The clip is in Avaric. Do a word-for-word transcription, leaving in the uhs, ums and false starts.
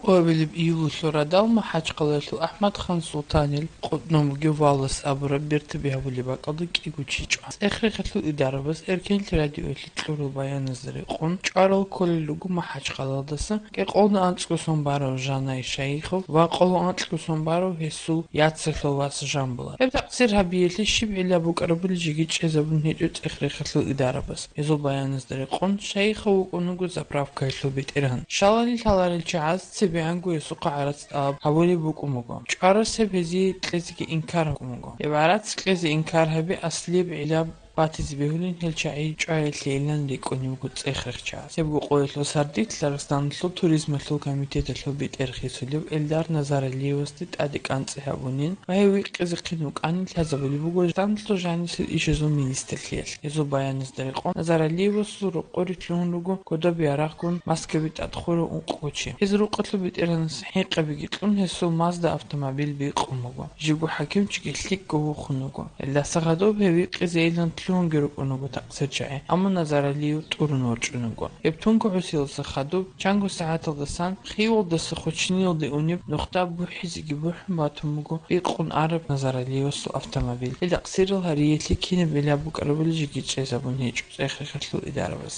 Къоабилеб июлалъул радал МахӀачхъалаялъул АхӀмадхан Султанил къотӀнобги валас абураб бертаби гьабулеб бакӀалда кӀиго чи чӀван. ЦӀех-рехалъул идарабаз Эркенлъи радиоялъе кьурал баяназда рекъон, чӀварал кколел руго МахӀачхъалаялдаса кӀикъоялда анцӀго сон барав Жанай Шайихов ва къоло анкьго сон барав гьесул яцалъул вас Жамбулат. Гьеб такъсир гьабиялъе щиб гӀилла букӀарабали жеги чӀезабун гьечӀо цӀех-рехалъул идарабаз. Гьезул баяназда рекъон, Шайихов вукӀун вуго заправкаялъул бетӀергьан. Щалали лъаларел чагӀаз цебегӀанго гьесухъа гӀарац тӀалаб гьабулеб букӀун буго. ЧӀварас гьеб гьезие кьезеги инкар гьабун буго. Гьеб гӀарац кьезе инкар гьаби аслияб гӀилла батизе бегьулин гьел чагӀи чӀваялъейилан рикӀкӀунеб буго цӀех-рех чагӀаз. Гьебго къоялъул сардилъ Дагъистаналъул туризмалъул комитеталъул бетӀер хисулев Эльдар Назаралиевасде тӀаде кӀанцӀи гьабунин ва гьев вихъизехъин вукӀанин лъазабулеб буго Дагъистаналъул жанисел ишазул министрлъиялъ. Гьезул баяназда рекъон, Назаралиевасул рокъоре лъугьун руго кодоб ярагъгун Москваби тӀад хурав ункъго чи. Гьез рукъалъул бетӀергьанас хӀинкъабиги кьун, гьесул Мазда автомобиль бикъун буго. Жибго хӀакимчиги лъикӀго вухун вуго. Гьелдаса гьадуб гьев вихъизейилан лъугьунги рукӀун вуго такъсир чагӀи, амма Назаралиев тӀурун ворчӀун вуго. Гьеб тункагӀусиялдаса хадуб, чанго сагӀаталдасан Хивалдаса Хучниялде унеб нухда бухӀизеги бухӀун батун буго бикъун араб Назаралиевасул автомобиль. Гьел такъсирал гьариялъе кинаб гӀилла букӀарабали жеги чӀезабун гьечӀо цӀех-рехалъул идарабаз.